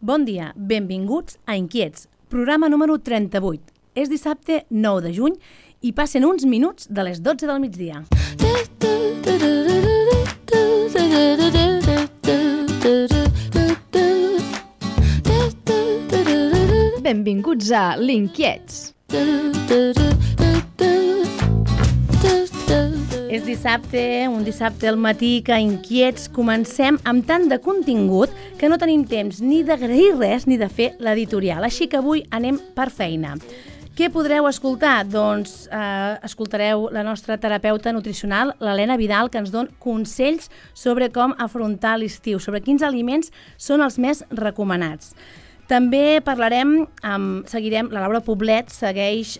Bon dia, benvinguts a Inquiets, programa número 38. És dissabte 9 de juny i passen uns minuts de les 12 del migdia. Benvinguts a l'Inquiets. És dissabte, un dissabte al matí que Inquiets comencem amb tant de contingut que no tenim temps ni d'agrair res ni de fer l'editorial. Així que avui anem per feina. Què podreu escoltar? Doncs escoltareu la nostra terapeuta nutricional, l'Helena Vidal, que ens dona consells sobre com afrontar l'estiu, sobre quins aliments són els més recomanats. També seguirem, la Laura Poblet segueix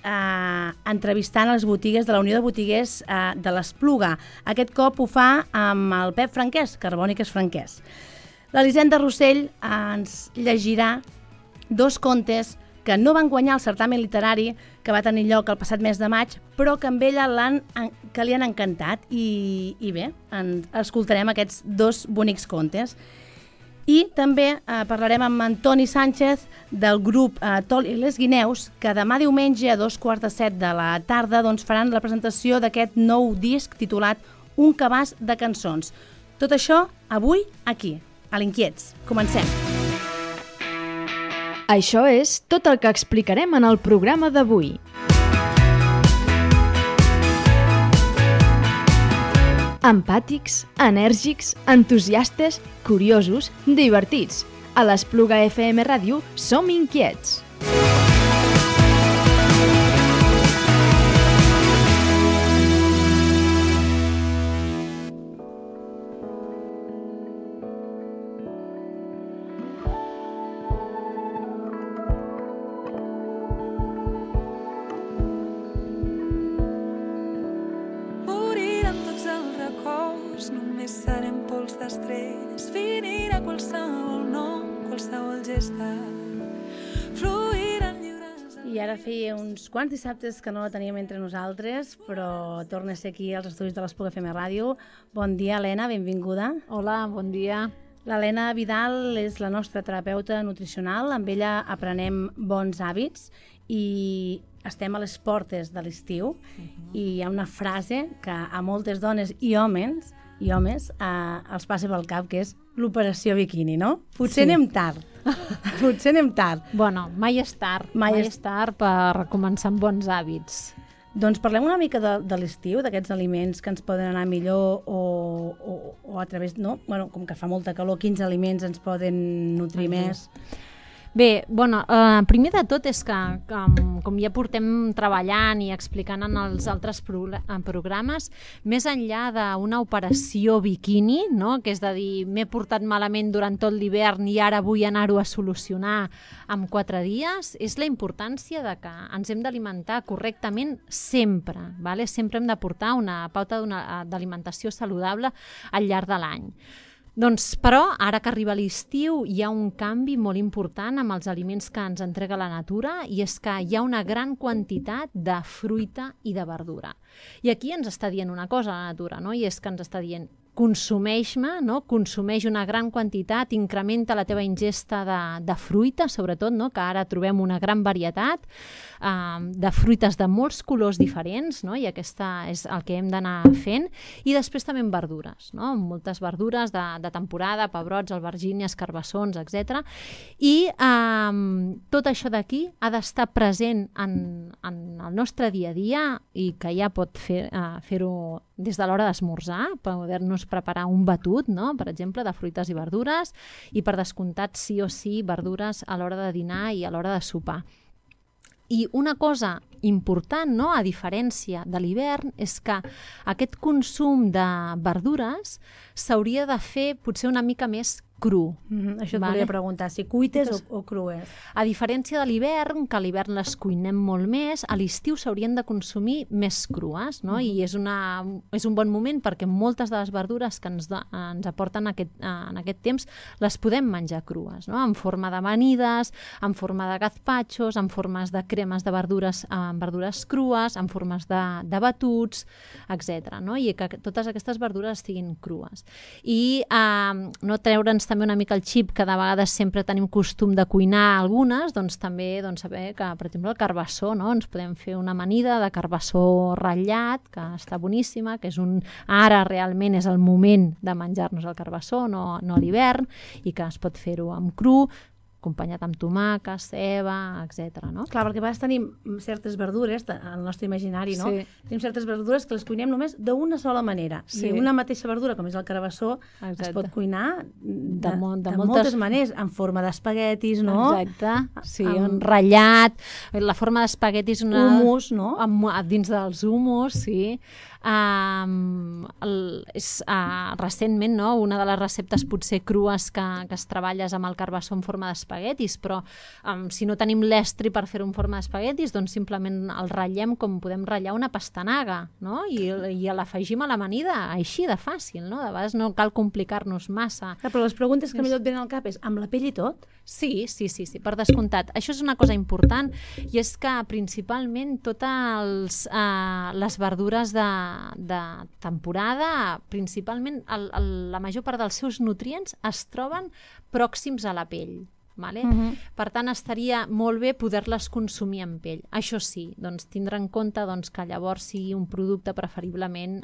entrevistant a les botigues de la Unió de Botiguers de l'Espluga. Aquest cop ho fa amb el Pep Franquès, Carbòniques Franquès. L'Elisenda Rossell ens llegirà dos contes que no van guanyar el certamen literari que va tenir lloc el passat mes de maig, però que amb ella li han encantat. I bé, escoltarem aquests dos bonics contes. I també parlarem amb Antoni Sánchez del grup Tol i les Guineus, que demà diumenge a 6:45 de la tarda faran la presentació d'aquest nou disc titulat Un cabàs de cançons. Tot això avui aquí, a l'Inquiets. Comencem. Això és tot el que explicarem en el programa d'avui. Empàtics, enèrgics, entusiastes, curiosos, divertits. A l'Espluga FM Ràdio som inquiets. I ara feia uns quants dissabtes que no la teníem entre nosaltres, però torna a ser aquí als estudis de l'Espluga FM Ràdio. Bon dia, Helena, benvinguda. Hola, bon dia. L'Helena Vidal és la nostra terapeuta nutricional, amb ella aprenem bons hàbits i estem a les portes de l'estiu i hi ha una frase que a moltes dones i homes els passa pel cap, que és l'operació biquini, no? Potser anem tard. Potser anem tard. Bueno, mai és tard. Mai és tard per començar amb bons hàbits. Doncs parlem una mica de l'estiu, d'aquests aliments que ens poden anar millor o a través, no? Bueno, com que fa molta calor, quins aliments ens poden nutrir més? Bé, bueno, primer de tot és que com ja portem treballant i explicant en els altres programes, més enllà d'una operació biquini, no? Que és de dir, m'he portat malament durant tot l'hivern i ara vull anar-ho a solucionar en 4 dies, és la importància de que ens hem d'alimentar correctament sempre, ¿vale? Sempre hem de portar una pauta d'alimentació saludable al llarg de l'any. Doncs, però, ara que arriba l'estiu, hi ha un canvi molt important amb els aliments que ens entrega la natura i és que hi ha una gran quantitat de fruita i de verdura. I aquí ens està dient una cosa la natura, no? I és que ens està dient consumeix-me, no? Consumeix una gran quantitat, incrementa la teva ingesta de fruita, sobretot, no? Que ara trobem una gran varietat de fruites de molts colors diferents, no? I aquesta és el que hem d'anar fent. I després també en verdures, no? Moltes verdures de temporada, pebrots, albergínies, carbassons, etc. I tot això d'aquí ha d'estar present en el nostre dia a dia i que ja pot fer-ho des de l'hora d'esmorzar, poder-nos preparar un batut, no? Per exemple, de fruites i verdures, i per descomptat sí o sí verdures a l'hora de dinar i a l'hora de sopar. I una cosa important, no? A diferència de l'hivern, és que aquest consum de verdures s'hauria de fer potser una mica més cru. Això et volia preguntar, si cuites o crues. A diferència de l'hivern, que a l'hivern les cuinem molt més, a l'estiu s'haurien de consumir més crues, no? I és un bon moment perquè moltes de les verdures que ens aporten en aquest temps les podem menjar crues, no? En forma d'amanides, en forma de gazpachos, en formes de cremes de verdures, amb verdures crues, en formes de batuts, etc. No? I que totes aquestes verdures estiguin crues. I no treure'ns també una mica el xip que de vegades sempre tenim costum de cuinar algunes, doncs també saber que, per exemple, el carbassó, no? Ens podem fer una amanida de carbassó ratllat, que està boníssima, que ara realment és el moment de menjar-nos el carbassó, no a l'hivern, i que es pot fer-ho amb cru, acompanyat amb tomàquet, ceba, etc. No? Clar, perquè a vegades tenim certes verdures, al nostre imaginari, no? Sí. Tenim certes verdures que les cuinem només d'una sola manera. Sí. I una mateixa verdura, com és el carbassó, es pot cuinar de moltes maneres, en forma d'espaguetis, no? Exacte, sí, un ratllat, la forma d'espaguetis... Humus, no? Dins dels humus, sí. Recentment, no? Una de les receptes potser crues que es treballes amb el carbassó en forma d'espaguetis, però si no tenim l'estri per fer-ho en forma d'espaguetis, doncs simplement el ratllem com podem ratllar una pastanaga, no? I l'afegim a l'amanida, així de fàcil, no? De vegades no cal complicar-nos massa. Però les preguntes que millor et venen al cap és amb la pell i tot? Sí, per descomptat. Això és una cosa important, i és que principalment totes les verdures de temporada, principalment la major part dels seus nutrients es troben pròxims a la pell. Vale? Per tant, estaria molt bé poder-les consumir en pell. Això sí, doncs, tindre en compte que llavors sigui un producte preferiblement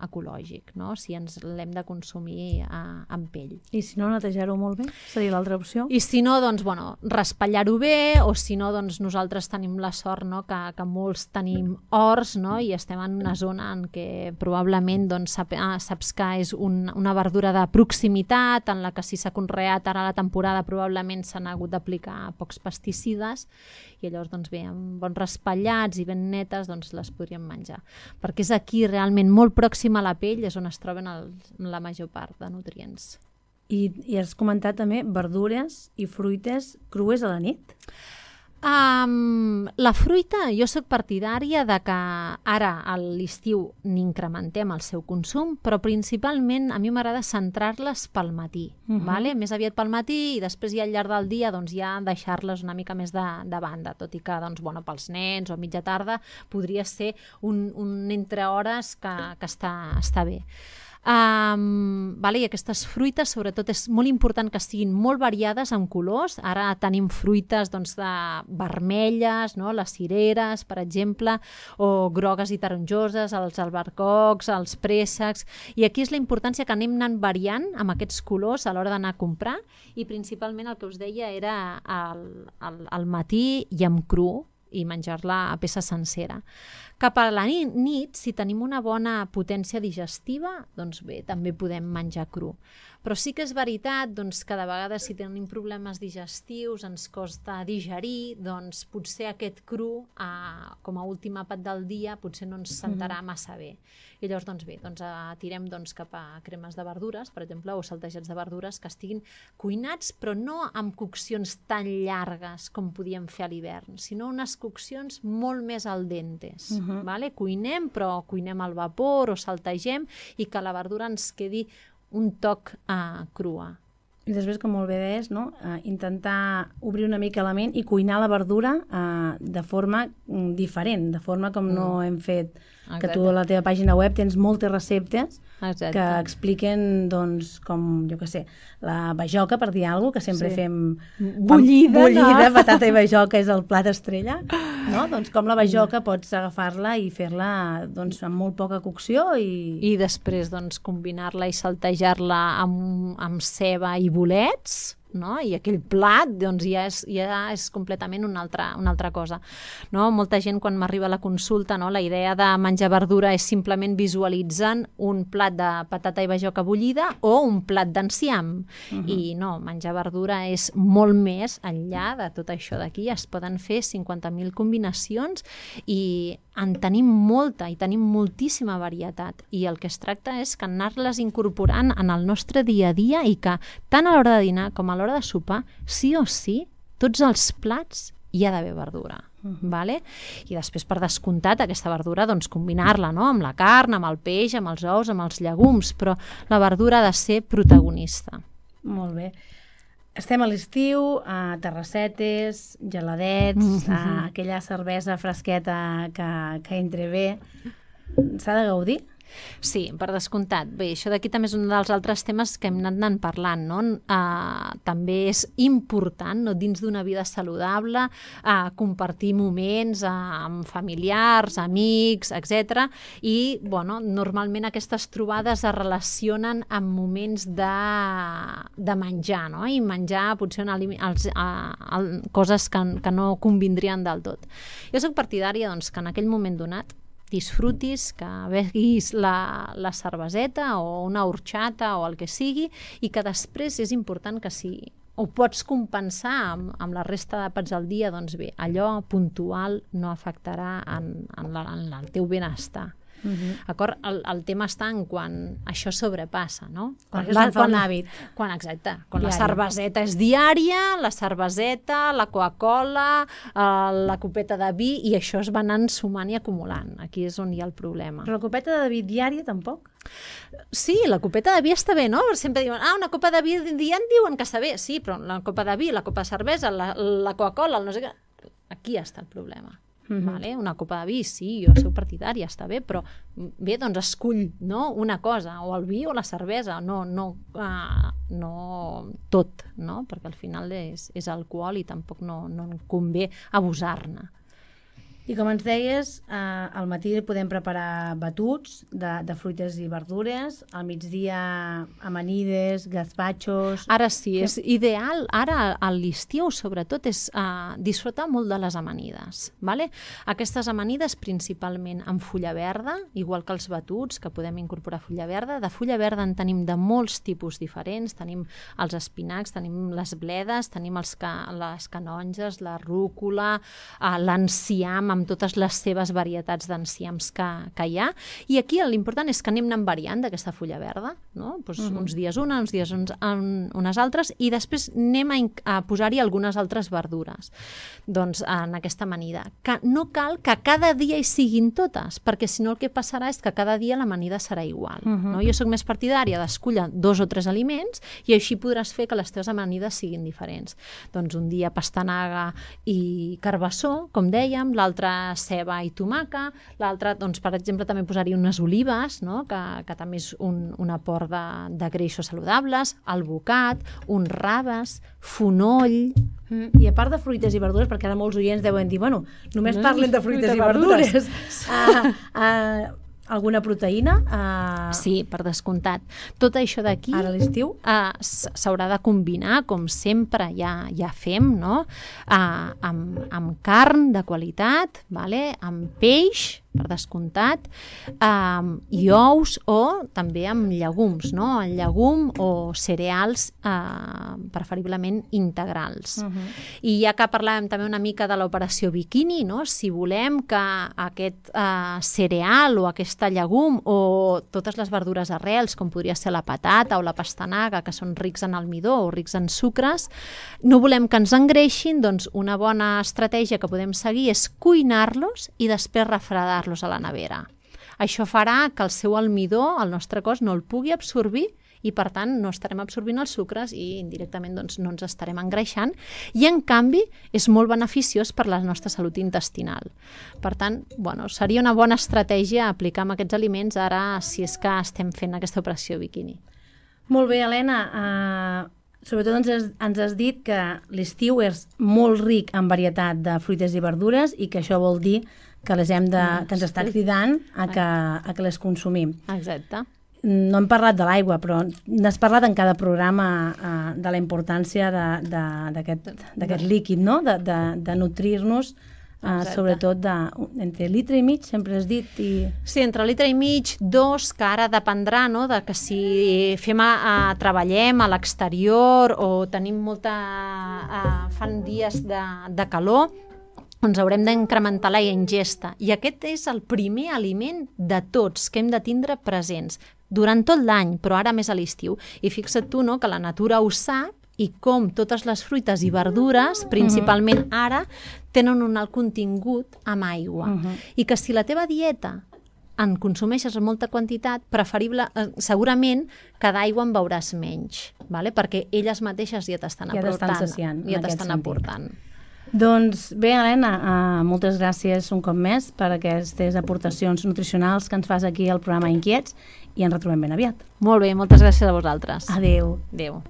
ecològic, no? Si ens l'hem de consumir en pell. I si no, netejar-ho molt bé? Seria l'altra opció? I si no, doncs, raspallar-ho bé, o si no, doncs, nosaltres tenim la sort, no? que molts tenim horts, no? I estem en una zona en què probablement saps que és una verdura de proximitat, en la que si s'ha conreat ara a la temporada probablement s'han hagut d'aplicar pocs pesticides, i llavors, doncs bé, amb bons raspallats i ben netes, doncs les podríem menjar. Perquè és aquí realment molt pròxim a la pell, és on es troben la major part de nutrients. I has comentat també verdures i fruites crues a la nit? La fruita, jo soc partidària de que ara a l'estiu n'incrementem el seu consum, però principalment a mi m'agrada centrar-les pel matí, vale? Més aviat pel matí, i després ja al llarg del dia ja deixar-les una mica més de banda, tot i que pels nens o mitja tarda podria ser un entre hores que està bé. I aquestes fruites, sobretot, és molt important que estiguin molt variades en colors. Ara tenim fruites vermelles, no? Les cireres, per exemple, o grogues i taronjoses, els albercocs, els préssecs, i aquí és la importància que anem anant variant amb aquests colors a l'hora d'anar a comprar, i principalment el que us deia era al matí i amb cru, i menjar-la a peça sencera. Cap a la nit, si tenim una bona potència digestiva, doncs bé, també podem menjar cru. Però sí que és veritat que de vegades si tenim problemes digestius, ens costa digerir, doncs potser aquest cru, com a últim àpat del dia, potser no ens sentarà massa bé. I llavors, tirem cap a cremes de verdures, per exemple, o saltejats de verdures que estiguin cuinats, però no amb coccions tan llargues com podíem fer a l'hivern, sinó unes coccions molt més al dentes. Vale? Cuinem, però cuinem al vapor o saltegem, i que la verdura ens quedi un toc crua. I després, com molt bé deies, no? Intentar obrir una mica la ment i cuinar la verdura de forma diferent, de forma com no hem fet. Que tu a la teva pàgina web tens moltes receptes que expliquen, com, jo què sé, la bajoca, per dir alguna cosa, que sempre fem... Bullida, patata i bajoca és el plat estrella, no? Doncs com la bajoca pots agafar-la i fer-la amb molt poca cocció i després combinar-la i saltejar-la amb ceba i bolets, no? I aquell plat ja és completament una altra cosa, no? Molta gent, quan m'arriba a la consulta, no? La idea de menjar verdura és simplement visualitzant un plat de patata i bajoca bullida o un plat d'enciam, i no, menjar verdura és molt més enllà de tot això d'aquí. Es poden fer 50.000 combinacions i en tenim molta, i tenim moltíssima varietat, i el que es tracta és que anar-les incorporant en el nostre dia a dia, i que tant a l'hora de dinar com a l'hora de sopar, sí o sí, tots els plats hi ha d'haver verdura. Vale? I després, per descomptat, aquesta verdura combinar-la, no? Amb la carn, amb el peix, amb els ous, amb els llegums, però la verdura ha de ser protagonista. Molt bé. Estem a l'estiu, terrassetes, geladets, aquella cervesa fresqueta que entra bé. S'ha de gaudir? Sí, per descomptat. Bé, això d'aquí també és un dels altres temes que hem anat parlant, no? També és important, no? Dins d'una vida saludable, compartir moments amb familiars, amics, etc. I, bueno, normalment aquestes trobades es relacionen amb moments de menjar, no? I menjar potser coses que no convindrien del tot. Jo soc partidària doncs, que en aquell moment donat disfrutis, que beguis la cerveseta o una horchata o el que sigui, i que després és important que si ho pots compensar amb la resta d'àpats al dia, doncs bé, allò puntual no afectarà en el teu benestar. D'acord? El tema està en quan això sobrepassa, no? Quan es fa un hàbit. Exacte. Quan la cerveseta és diària, la cerveseta, la Coca-Cola, la copeta de vi, i això es va anant sumant i acumulant. Aquí és on hi ha el problema. Però la copeta de vi diària tampoc? Sí, la copeta de vi està bé, no? Sempre diuen, una copa de vi diària diuen que està bé. Sí, però la copa de vi, la copa de cervesa, la Coca-Cola, el no sé què... Aquí està el problema. Vale? Una copa de vi, sí, jo soc partidària, està bé, però bé, doncs escull, no? Una cosa, o el vi o la cervesa, no tot, no? Perquè al final és alcohol i tampoc no convé abusar-ne. I com ens deies, al matí podem preparar batuts de fruites i verdures, al migdia amanides, gazpachos... Ara sí, és ideal, ara a l'estiu sobretot és disfrutar molt de les amanides. Vale? Aquestes amanides principalment amb fulla verda, igual que els batuts, que podem incorporar fulla verda. De fulla verda en tenim de molts tipus diferents, tenim els espinacs, tenim les bledes, tenim les canonges, la rúcula, l'enciam, amb totes les seves varietats d'enciams que hi ha. I aquí l'important és que anem variant d'aquesta fulla verda, no? Pues uns dies una, uns dies unes altres, i després anem a posar-hi algunes altres verdures doncs, en aquesta amanida. Que no cal que cada dia hi siguin totes, perquè si no el que passarà és que cada dia l'amanida serà igual. No? Jo soc més partidària d'escollir 2 o 3 aliments i així podràs fer que les teves amanides siguin diferents. Doncs un dia pastanaga i carbassó, com dèiem, l'altre ceba i tomaca, l'altre, doncs, per exemple, també posar-hi unes olives, no? que també és un aport de greixos saludables, alvocat, uns raves, fonoll... I a part de fruites i verdures, perquè ara molts oients deuen dir, bueno, només parlen de fruites i verdures. Alguna proteïna? Sí, per descomptat. Tot això d'aquí ara a l'estiu s'haurà de combinar, com sempre ja fem, no? Amb carn de qualitat, vale? Amb peix, per descomptat, i ous, o també amb llegums, no? El llegum o cereals preferiblement integrals. I ja que parlàvem també una mica de l'operació biquini, no? Si volem que aquest cereal o aquesta llegum o totes les verdures arrels, com podria ser la patata o la pastanaga, que són rics en almidó o rics en sucres, no volem que ens engreixin, doncs una bona estratègia que podem seguir és cuinar-los i després refredar-los a la nevera. Això farà que el seu almidó, el nostre cos, no el pugui absorbir i, per tant, no estarem absorbint els sucres i indirectament doncs, no ens estarem engreixant, i, en canvi, és molt beneficiós per la nostra salut intestinal. Per tant, bueno, seria una bona estratègia aplicar amb aquests aliments ara si és que estem fent aquesta operació biquini. Molt bé, Helena. Sobretot ens has dit que l'estiu és molt ric en varietat de fruites i verdures i que això vol dir que les hem que ens està cridant a que les consumim. Exacte. No hem parlat de l'aigua, però n'has parlat en cada programa de la importància d'aquest líquid, no? De nutrir-nos, sobretot entre litre i mig, sempre has dit. Sí, entre litre i mig, 2, que ara dependrà, no? De que si treballem a l'exterior o tenim fan dies de calor, doncs haurem d'incrementar la ingesta. I aquest és el primer aliment de tots que hem de tindre presents durant tot l'any, però ara més a l'estiu. I fixa't tu, no?, que la natura ho sap i com totes les fruites i verdures, principalment ara, tenen un alt contingut amb aigua. I que si la teva dieta en consumeixes en molta quantitat, preferible, segurament que d'aigua en beuràs menys, perquè elles mateixes ja t'estan aportant. Ja t'estan saciant. Ja t'estan aportant. Doncs bé, Helena, moltes gràcies un cop més per aquestes aportacions nutricionals que ens fas aquí al programa Inquiets i ens retrobem ben aviat. Molt bé, moltes gràcies a vosaltres. Adéu. Adéu.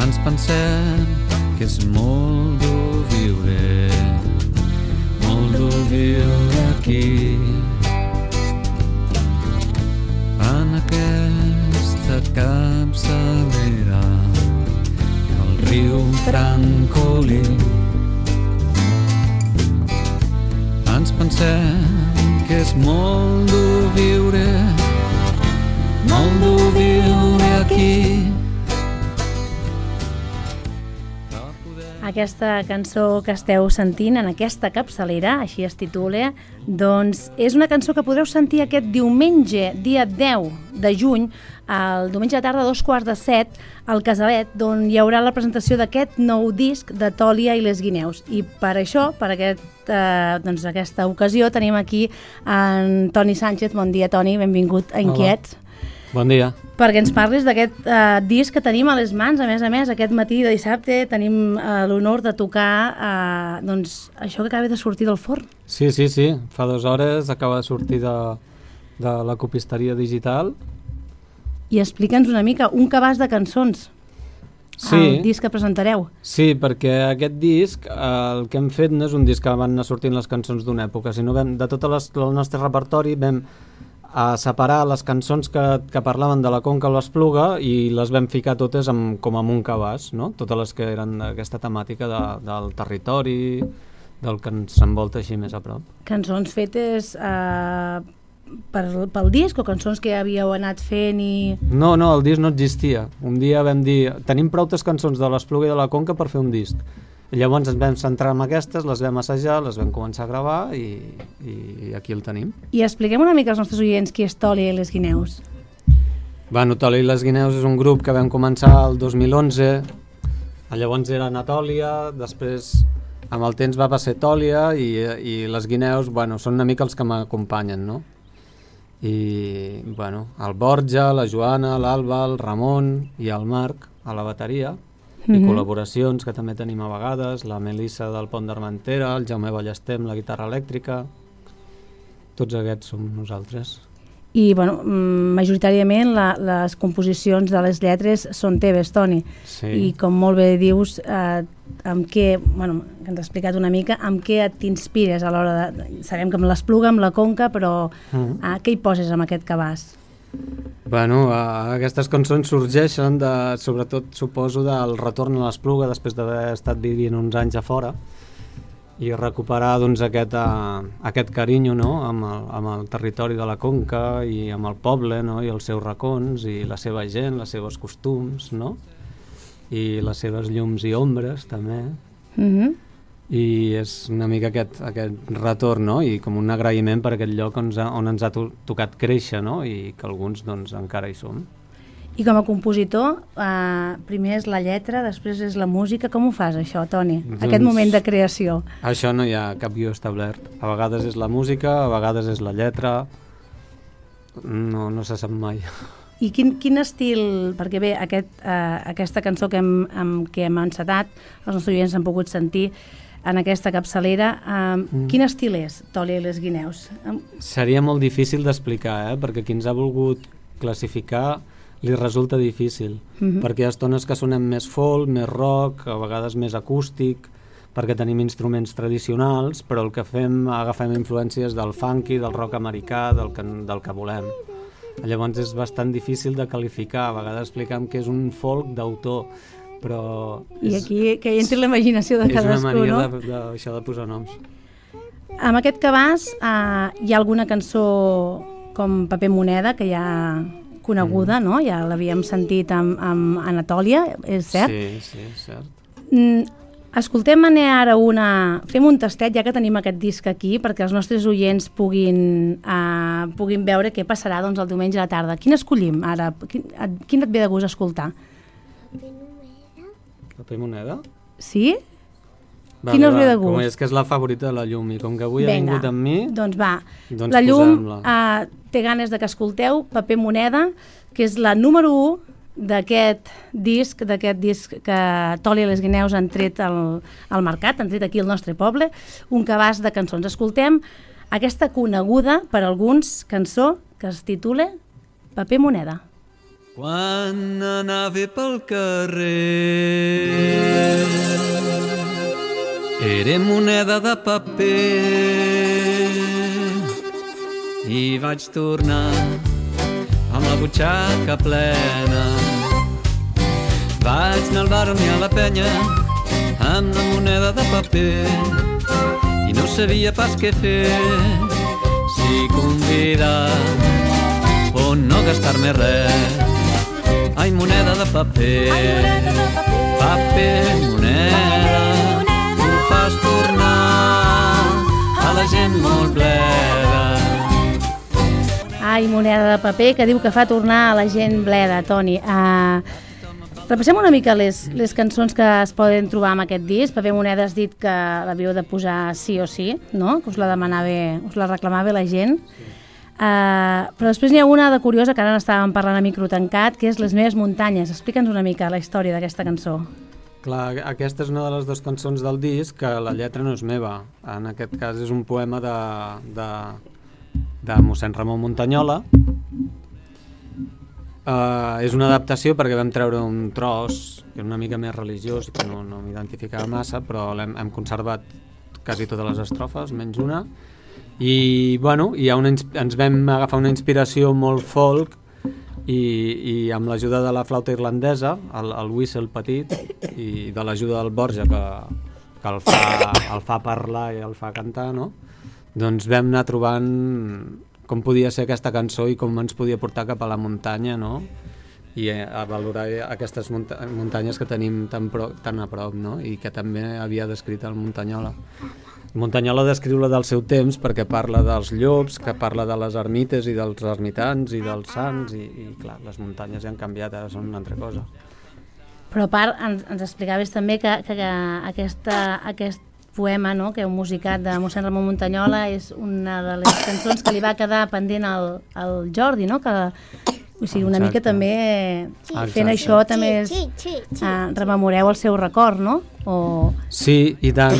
Ens pensem que és molt dur viure aquí, en aquesta capçalera del riu Francolí. Ens pensem que és molt dur viure aquí. Aquesta cançó que esteu sentint en aquesta capçalera, així es titula, doncs és una cançó que podreu sentir aquest diumenge, dia 10 de juny, el diumenge de tarda a 6:15, al Casalet, d'on hi haurà la presentació d'aquest nou disc de Tòlia i les Guineus. I per això, per aquesta ocasió, tenim aquí en Toni Sánchez. Bon dia, Toni, benvingut a Inquiets. Bon dia. Perquè ens parlis d'aquest disc que tenim a les mans. A més, aquest matí de dissabte tenim l'honor de tocar doncs, això que acaba de sortir del forn. Sí. Fa 2 hores acaba de sortir de la copisteria digital. I explica'ns una mica un cabàs de cançons. Sí. El disc que presentareu. Sí, perquè aquest disc, el que hem fet no és un disc que van anar sortint les cançons d'una època, sinó de tot el nostre repertori vam a separar les cançons que parlaven de la Conca o l'Espluga i les vam ficar totes com en un cabàs, no? Totes les que eren d'aquesta temàtica del territori, del que ens envolta així més a prop. Cançons fetes pel disc o cançons que ja havíeu anat fent i... No, el disc no existia. Un dia vam dir, tenim proutes cançons de l'Espluga i de la Conca per fer un disc. I llavors ens vam centrar en aquestes, les vam assajar, les vam començar a gravar i aquí el tenim. I expliquem una mica als nostres oients qui és Tòlia i les Guineus. Bueno, Tòlia i les Guineus és un grup que vam començar el 2011. Llavors era Anatòlia, després amb el temps va ser Tòlia i les Guineus, bueno, són una mica els que m'acompanyen, no? I, bueno, el Borja, la Joana, l'Alba, el Ramon i el Marc a la bateria. I col·laboracions que també tenim a vegades, la Melissa del Pont d'Armentera, el Jaume Ballester amb la guitarra elèctrica, tots aquests som nosaltres. I bueno, majoritàriament les composicions de les lletres són teves, Toni. Sí. I com molt bé dius, amb què, bueno, que ens has explicat una mica, amb què t'inspires a l'hora de... Sabem que amb l'Espluga, amb la Conca, però què hi poses amb aquest cabàs? Bueno, aquestes cançons sorgeixen sobretot, suposo, del retorn a l'Espluga després d'haver estat vivint uns anys a fora i recuperar doncs, aquest carinyo, no? amb el territori de la Conca i amb el poble, no? I els seus racons i la seva gent, els seus costums, no? I les seves llums i ombres també. I és una mica aquest retorn, no? I com un agraïment per aquest lloc on ens ha tocat créixer, no? I que alguns doncs, encara hi som. I com a compositor, primer és la lletra, després és la música. Com ho fas, això, Toni? Doncs, aquest moment de creació. Això no hi ha cap guió establert. A vegades és la música, a vegades és la lletra. No se sap mai. I quin estil, perquè bé, aquesta cançó que hem encetat, els nostres oients han pogut sentir en aquesta capçalera, quin estil és Tòlia i les Guineus? Seria molt difícil d'explicar, perquè qui ens ha volgut classificar li resulta difícil, perquè hi ha estones que sonem més folk, més rock, a vegades més acústic, perquè tenim instruments tradicionals, però el que fem, agafem influències del funky, del rock americà, del que volem. Llavors és bastant difícil de qualificar, a vegades expliquem que és un folk d'autor, però... I aquí que hi entri la imaginació de cadascú, no? És una mania això de posar noms. Amb aquest cabàs hi ha alguna cançó com Paper Moneda, que ja coneguda, no? Ja l'havíem sentit amb Anatòlia, és cert? Sí, és cert. Escoltem ara fem un tastet, ja que tenim aquest disc aquí, perquè els nostres oients puguin veure què passarà doncs, el diumenge a la tarda. Quin escollim ara? Quin et ve de gust escoltar? Paper moneda? Sí? Quin us ve de gust? Com és que és la favorita de la Llum i com que avui ha vingut amb mi... Doncs va, doncs la Llum posem-la. Té ganes de que escolteu Paper moneda, que és la número 1 d'aquest disc que Toli i les Guineus han tret al mercat, han tret aquí al nostre poble, un cabàs de cançons. Escoltem aquesta coneguda per alguns cançó que es titula Paper moneda. Quan anava pel carrer era moneda de paper i vaig tornar amb la butxaca plena. Vaig anar al bar a la penya amb la moneda de paper i no sabia pas què fer, si convidar o no gastar-me res. Ai, moneda de paper, paper, moneda, tu fas tornar a la gent molt bleda. Ai, moneda de paper, que diu que fa tornar a la gent bleda, Toni. Repassem una mica les cançons que es poden trobar en aquest disc. Paper moneda has dit que l'havíeu de posar sí o sí, no? Que us la reclamava la gent. Però després n'hi ha una de curiosa que ara n'estàvem parlant a micro tancat, que és Les meves muntanyes. Explica'ns una mica la història d'aquesta cançó. Clar, aquesta és una de les dues cançons del disc que la lletra no és meva. En aquest cas és un poema de mossèn Ramon Muntanyola. És una adaptació perquè vam treure un tros que és una mica més religiós, que no m'identificava massa, però hem conservat quasi totes les estrofes, menys una. I bueno, ens vam agafar una inspiració molt folk i amb l'ajuda de la flauta irlandesa, el whistle petit, i de l'ajuda del Borja que el fa parlar i el fa cantar, no? Doncs vam anar trobant com podia ser aquesta cançó i com ens podia portar cap a la muntanya, no? I a valorar aquestes muntanyes que tenim tan a prop, no? I que també havia descrit el Muntanyola. Muntanyola descriu-la del seu temps perquè parla dels llops, que parla de les ermites i dels ermitans i dels sants i clar, les muntanyes ja han canviat, ara són una altra cosa. Però a part ens explicaves també que aquest poema, no?, que heu musicat de mossèn Ramon Muntanyola és una de les cançons que li va quedar pendent al Jordi, no? O sigui, una mica també fent això també rememoreu el seu record, no? Sí, i tant.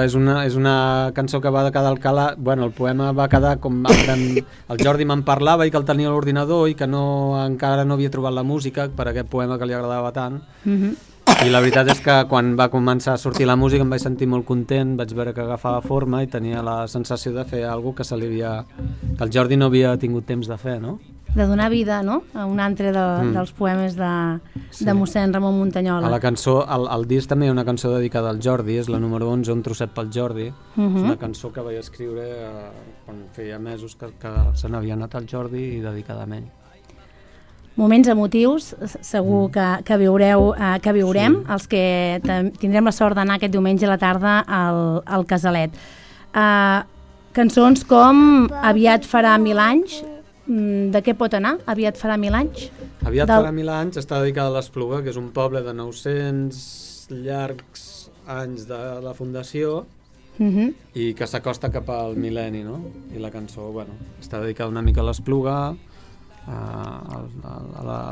És una cançó que va quedar al calat. Bueno, el poema va quedar com... El Jordi me'n parlava i que el tenia a l'ordinador i que encara no havia trobat la música per aquest poema que li agradava tant. I la veritat és que quan va començar a sortir la música em vaig sentir molt content, vaig veure que agafava forma i tenia la sensació de fer alguna cosa que el Jordi no havia tingut temps de fer, no? De donar vida, no?, a un altre dels poemes de mossèn Ramon Muntanyola. A la cançó, al disc també hi ha una cançó dedicada al Jordi, és la número 11, Un trosset pel Jordi. És una cançó que vaig escriure quan feia mesos que se n'havia anat al Jordi i dedicada a ell. Moments emotius, segur que viurem, els que tindrem la sort d'anar aquest diumenge a la tarda al Casalet. Cançons com Aviat farà 1000 anys, de què pot anar? Aviat farà 1000 anys? Aviat farà 1000 anys està dedicada a l'Espluga, que és un poble de 900 llargs anys de la fundació i que s'acosta cap al mil·lenni, no? I la cançó, bueno, està dedicada una mica a l'Espluga, a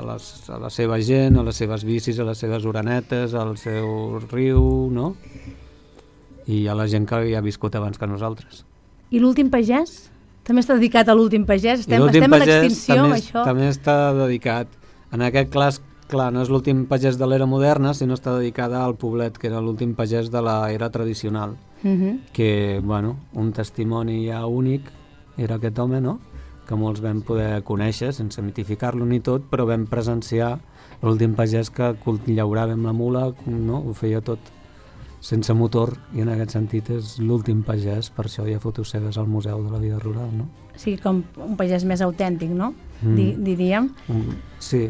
la seva gent, a les seves bicis, a les seves orenetes, al seu riu, no? I a la gent que hi ha viscut abans que nosaltres. I l'últim pagès? També està dedicat a l'últim pagès? Estem a l'extinció, això? També està dedicat. En aquest cas, clar, no és l'últim pagès de l'era moderna, sinó està dedicada al poblet, que era l'últim pagès de l'era tradicional. Que, bueno, un testimoni ja únic era aquest home, no?, que molts vam poder conèixer, sense mitificar-lo ni tot, però vam presenciar l'últim pagès que llaurava amb la mula, no?, ho feia tot sense motor, i en aquest sentit és l'últim pagès, per això hi ha fotos seves al Museu de la Vida Rural, no? Sí, com un pagès més autèntic, no? Diríem. Sí.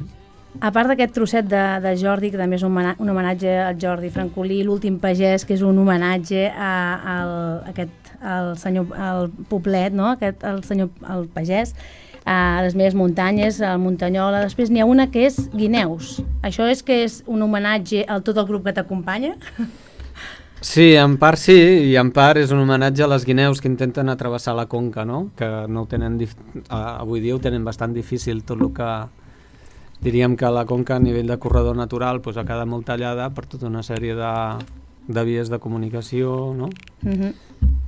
A part d'aquest trosset de Jordi, que també és un homenatge al Jordi Francolí, l'últim pagès, que és un homenatge al senyor al Poblet, no? El pagès, a les meves muntanyes, al Muntanyola. Després n'hi ha una que és Guineus. Això és que és un homenatge a tot el grup que t'acompanya? Sí, en part sí, i en part és un homenatge a les guineus que intenten travessar la conca, no? Que no ho tenen avui dia ho tenen bastant difícil, tot el que diríem que la conca a nivell de corredor natural ha quedat molt tallada per tota una sèrie de vies de comunicació, no?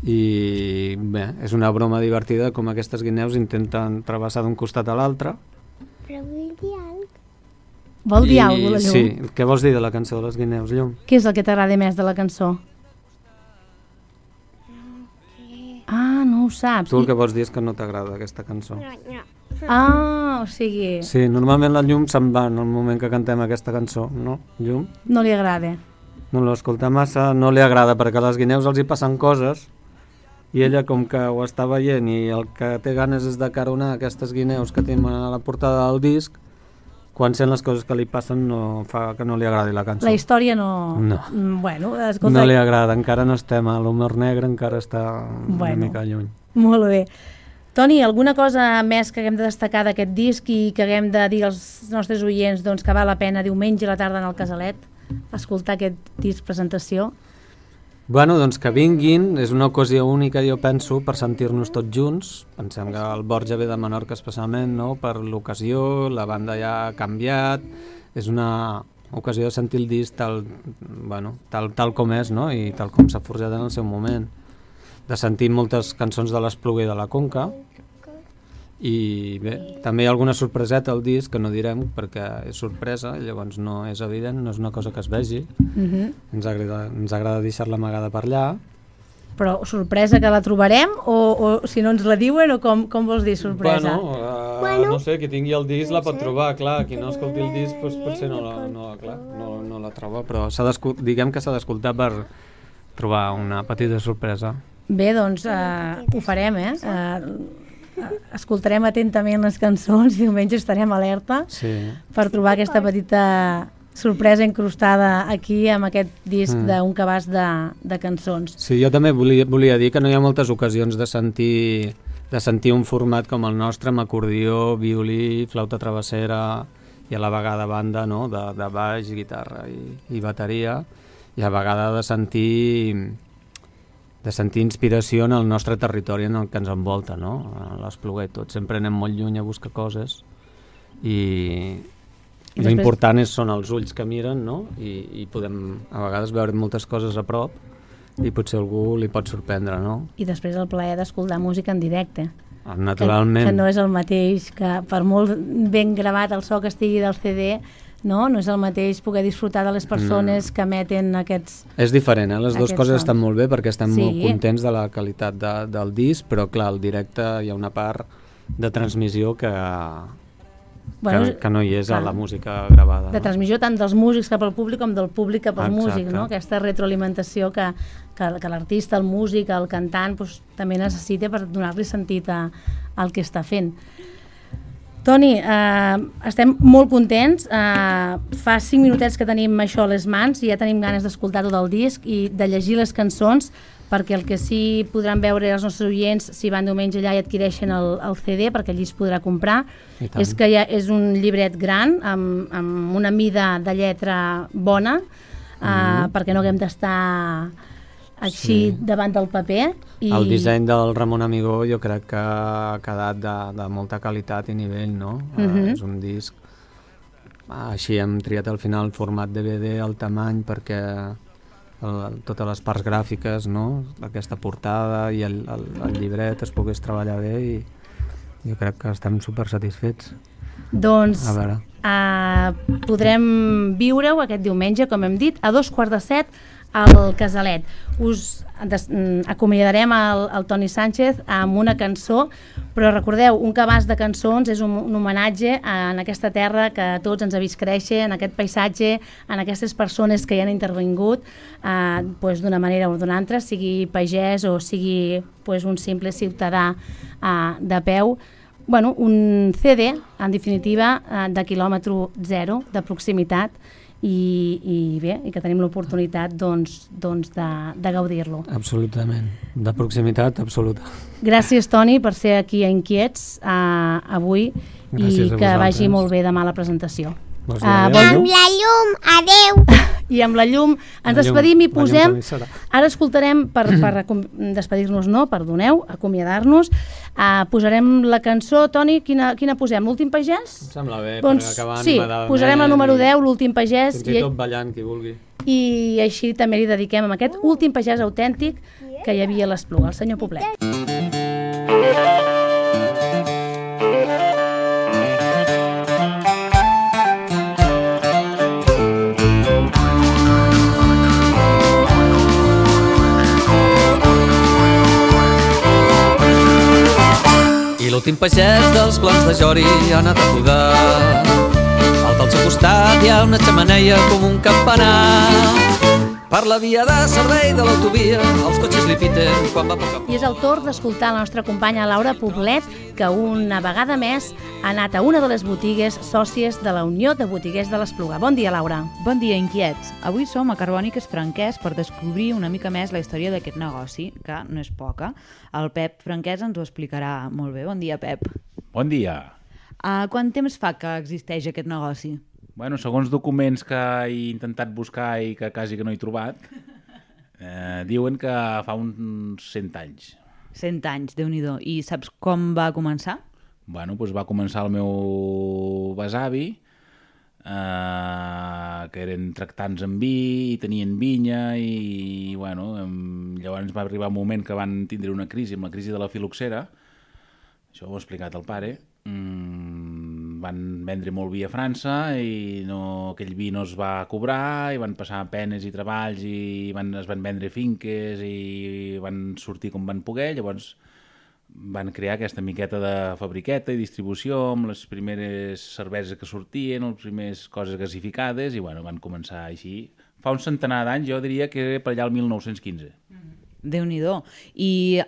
I bé, és una broma divertida com aquestes guineus intenten travessar d'un costat a l'altre. Però vull dir alguna cosa. Vol dir alguna cosa, la Llum? Sí, què vols dir de la cançó de les guineus, Llum? Què és el que t'agrada més de la cançó? Ah, no ho saps. Tu el que vols dir és que no t'agrada aquesta cançó. No. Ah, o sigui... Sí, normalment la Llum se'n va en el moment que cantem aquesta cançó, no, Llum? No li agrada. No l'escolta massa, no li agrada perquè a les guineus els hi passen coses i ella com que ho està veient i el que té ganes és d'acaronar aquestes guineus que tenim a la portada del disc, quan sent les coses que li passen no fa que no li agradi la cançó. La història no... No. Bueno, escolta... No li agrada, encara no estem a l'humor negre, encara està una mica lluny. Molt bé. Toni, alguna cosa més que haguem de destacar d'aquest disc i que haguem de dir als nostres oients doncs, que val la pena diumenge a la tarda en el Casalet escoltar aquest disc presentació? Bueno, doncs que vinguin, és una ocasió única, jo penso, per sentir-nos tots junts. Pensem que el Borja ve de Menorca especialment, no?, per l'ocasió, la banda ja ha canviat, és una ocasió de sentir el disc tal com és, no?, i tal com s'ha forjat en el seu moment. De sentir moltes cançons de l'Espluga i de la Conca, i bé, també hi ha alguna sorpreseta al disc que no direm perquè és sorpresa, llavors no és evident, no és una cosa que es vegi. Ens agrada deixar-la amagada per allà. Però sorpresa que la trobarem o si no ens la diuen o com vols dir sorpresa? No sé, qui tingui el disc la pot trobar, clar, qui no escolti el disc doncs potser no la troba, però diguem que s'ha d'escoltar per trobar una petita sorpresa. Bé, doncs ho farem, escoltarem atentament les cançons i diumenge estarem alerta per trobar aquesta petita sorpresa incrustada aquí amb aquest disc d'un cabàs de cançons. Sí, jo també volia dir que no hi ha moltes ocasions de sentir un format com el nostre amb acordió, violí, flauta travessera i a la vegada banda, no?, de baix, guitarra i bateria, i a vegada de sentir inspiració en el nostre territori en el que ens envolta, no?, l'Espluga i tot. Sempre anem molt lluny a buscar coses i l'important són els ulls que miren, no?, i podem a vegades veure moltes coses a prop i potser algú li pot sorprendre, no? I després el plaer d'escoltar música en directe. Naturalment. Que no és el mateix, que per molt ben gravat el so que estigui del CD, no és el mateix poder disfrutar de les persones que emeten aquests... És diferent, les dues coses estan molt bé perquè estem molt contents de la qualitat del disc, però clar, al directe hi ha una part de transmissió que no hi és a la música gravada. De transmissió tant dels músics cap al públic com del públic cap als músics, no? Aquesta retroalimentació que l'artista, el músic, el cantant també necessita per donar-li sentit al que està fent. Toni, estem molt contents, fa 5 minutets que tenim això a les mans i ja tenim ganes d'escoltar tot el disc i de llegir les cançons, perquè el que sí podran veure els nostres oients si van diumenge allà i adquireixen el CD, perquè allí es podrà comprar, és que és un llibret gran amb una mida de lletra bona, perquè no haguem d'estar així davant del paper. El disseny del Ramon Amigó jo crec que ha quedat de molta qualitat i nivell, no? És un disc, així hem triat al final el format DVD, el tamany, perquè totes les parts gràfiques, no?, aquesta portada i el llibret es pogués treballar bé i jo crec que estem super satisfets. Doncs podrem viure-ho aquest diumenge, com hem dit, a 2:45 al Casalet. Us acomiadarem el Toni Sánchez amb una cançó, però recordeu, un cabàs de cançons és un homenatge en aquesta terra que a tots ens ha vist créixer, en aquest paisatge, en aquestes persones que hi han intervingut d'una manera o d'una altra, sigui pagès o sigui un simple ciutadà de peu. bueno, un CD, en definitiva, de quilòmetre zero, de proximitat, i bé, i que tenim l'oportunitat doncs, de gaudir-lo. Absolutament, de proximitat absoluta. Gràcies, Toni, per ser aquí a Inquiets avui. Gràcies i que vagi molt bé demà la presentació. Amb la llum, adeu! I amb la llum ens despedim i posem... Ara escoltarem, per despedir-nos, no, perdoneu, acomiadar-nos, posarem la cançó, Toni, quina posem? L'últim pagès? Em sembla bé, doncs, per acabar sí, posarem la número 10, l'últim pagès. Fins i tot ballant, qui vulgui. I així també li dediquem a aquest últim pagès autèntic que hi havia a l'Espluga, el senyor Poblet. I l'últim pagès dels plans de Jori ha anat a podar. Al seu costat hi ha una xemeneia com un campanar. Per la via de servei de l'autovia els cotxes li piten quan va a poc a poc. I és el torn d'escoltar la nostra companya Laura Poblet, que una vegada més ha anat a una de les botigues sòcies de la Unió de Botiguers de l'Espluga. Bon dia, Laura. Bon dia, inquiets. Avui som a Carbòniques Franquès per descobrir una mica més la història d'aquest negoci, que no és poca. El Pep Franquès ens ho explicarà molt bé. Bon dia, Pep. Bon dia. Quant temps fa que existeix aquest negoci? Bueno, segons documents que he intentat buscar i que quasi que no he trobat, diuen que fa uns 100 anys. 100 anys, Déu-n'hi-do. I saps com va començar? Bueno, doncs va començar el meu besavi, que eren tractants amb vi i tenien vinya i bueno, llavors va arribar un moment que van tindre una crisi, amb la crisi de la filoxera, això ho ha explicat el pare, van vendre molt vi a França i aquell vi no es va cobrar i van passar penes i treballs i es van vendre finques i van sortir com van poder, llavors van crear aquesta miqueta de fabriqueta i distribució amb les primeres cerveses que sortien, les primeres coses gasificades i bueno, van començar així. Fa un centenar d'anys, jo diria que era per allà el 1915. Déu-n'hi-do. I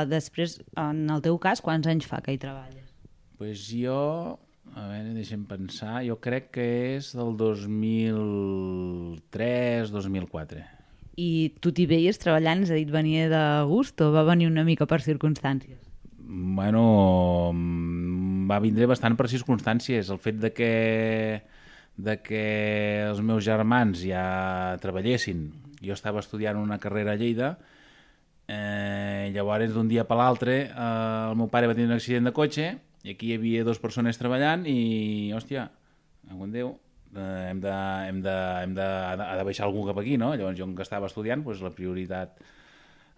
després, en el teu cas, quants anys fa que hi treballes? Doncs jo, a veure, deixa'm pensar, jo crec que és del 2003-2004. I tu t'hi veies treballant, és a dir, venia de gust o va venir una mica per circumstàncies? Bueno, va vindre bastant per circumstàncies. El fet de que els meus germans ja treballessin, jo estava estudiant una carrera a Lleida, llavors d'un dia per l'altre el meu pare va tenir un accident de cotxe i aquí hi havia 2 persones treballant i, hòstia, quan Déu, hem de baixar algú cap aquí, no? Llavors jo que estava estudiant, doncs la prioritat,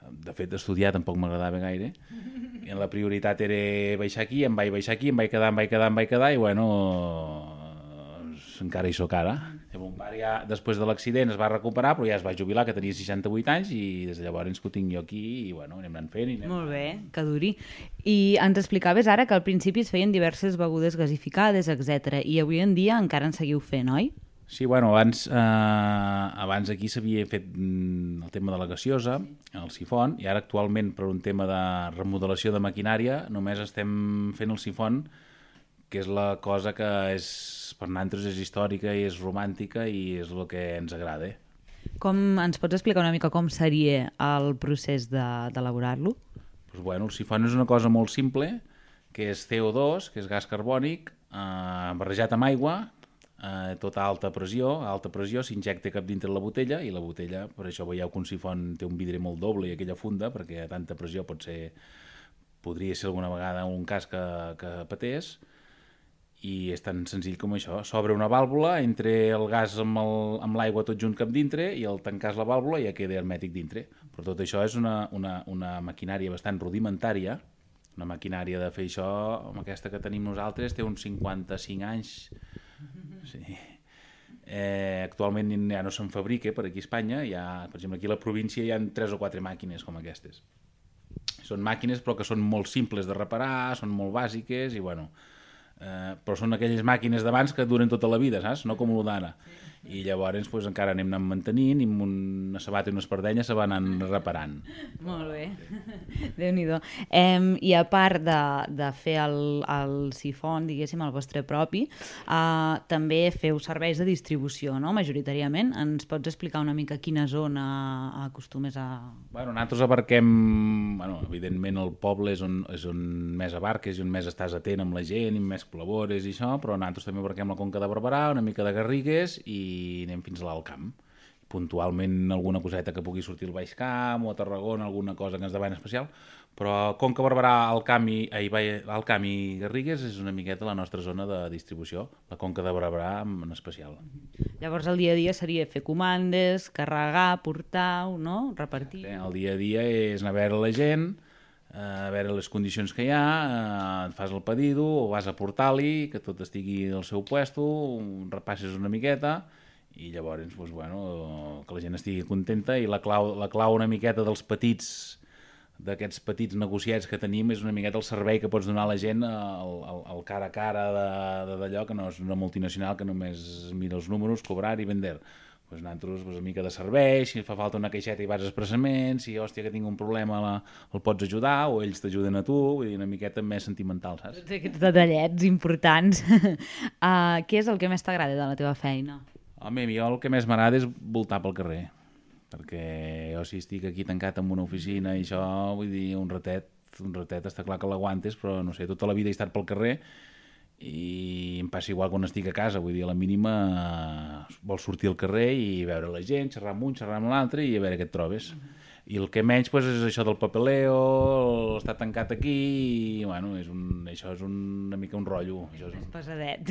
de fet estudiar tampoc m'agradava gaire, i la prioritat era baixar aquí, em vaig baixar aquí, em vaig quedar i bueno, encara hi soc ara. El meu pare ja, després de l'accident, es va recuperar, però ja es va jubilar, que tenia 68 anys, i des de llavors que ho tinc jo aquí, i bueno, anem anant fent. Molt bé, que duri. I ens explicaves ara que al principi es feien diverses begudes gasificades, etc. I avui en dia encara en seguiu fent, oi? Sí, bueno, abans aquí s'havia fet el tema de la gaseosa, el sifon, i ara actualment per un tema de remodelació de maquinària només estem fent el sifon, que és la cosa que per nosaltres és històrica i és romàntica i és el que ens agrada. Ens pots explicar una mica com seria el procés d'elaborar-lo? Pues bueno, el sifon és una cosa molt simple, que és CO2, que és gas carbònic, barrejat amb aigua, a tota alta pressió s'injecta cap dintre la botella i la botella, per això veieu que un sifon té un vidre molt doble i aquella funda, perquè a tanta pressió podria ser alguna vegada un cas que patés, i és tan senzill com això. S'obre una vàlvula entre el gas amb l'aigua tot junt cap dintre i al tancar la vàlvula ja queda hermètic dintre. Però tot això és una maquinària bastant rudimentària, una maquinària de fer això, amb aquesta que tenim nosaltres, té uns 55 anys. Sí. Actualment ja no se'n fabrica per aquí a Espanya, per exemple aquí a la província hi ha 3 o 4 màquines com aquestes. Són màquines però que són molt simples de reparar, són molt bàsiques i bueno... però són aquelles màquines d'abans que duren tota la vida, saps? No com el d'ara. i llavors doncs, encara anem anant mantenint i amb una sabata i una espardenya se van anant reparant. Molt bé, Déu-n'hi-do. I a part de fer el sifon, diguéssim, el vostre propi, també feu serveis de distribució, no?, majoritàriament. Ens pots explicar una mica quina zona acostumes a... Bueno, nosaltres abarquem, evidentment el poble és on més abarques i on més estàs atent amb la gent i més col·labores i això, però nosaltres també abarquem la Conca de Barberà, una mica de Garrigues i anem fins a l'Alt Camp. Puntualment alguna coseta que pugui sortir al Baix Camp o a Tarragona, alguna cosa que ens demani especial, però Conca, Barberà, Alt Camp i Garrigues és una miqueta la nostra zona de distribució, la Conca de Barberà en especial. Llavors el dia a dia seria fer comandes, carregar, portar, no?, repartir... El dia a dia és anar a veure la gent, a veure les condicions que hi ha, et fas el pedido o vas a portar-li, que tot estigui al seu puesto, repasses una miqueta i llavors doncs, que la gent estigui contenta i la clau una miqueta d'aquests petits negociats que tenim és una miqueta el servei que pots donar a la gent el cara a cara d'allò que no és una multinacional que només mira els números, cobrar i vender. Nosaltres una mica de servei, si fa falta una queixeta i vas expressament, si hòstia que tinc un problema el pots ajudar o ells t'ajuden a tu, vull dir, una miqueta més sentimental, saps? Tots aquests detallets importants. Què és el que més t'agrada de la teva feina? Home, jo el que més m'agrada és voltar pel carrer, perquè jo si estic aquí tancat en una oficina i això, vull dir, un ratet està clar que l'aguantes, però no sé, tota la vida he estat pel carrer i em passa igual quan estic a casa, vull dir, a la mínima vols sortir al carrer i veure la gent, xerrar amb un, xerrar amb l'altre i a veure què et trobes. I el que menys és això del papeleo, estar tancat aquí, i això és una mica un rotllo. És pesadet.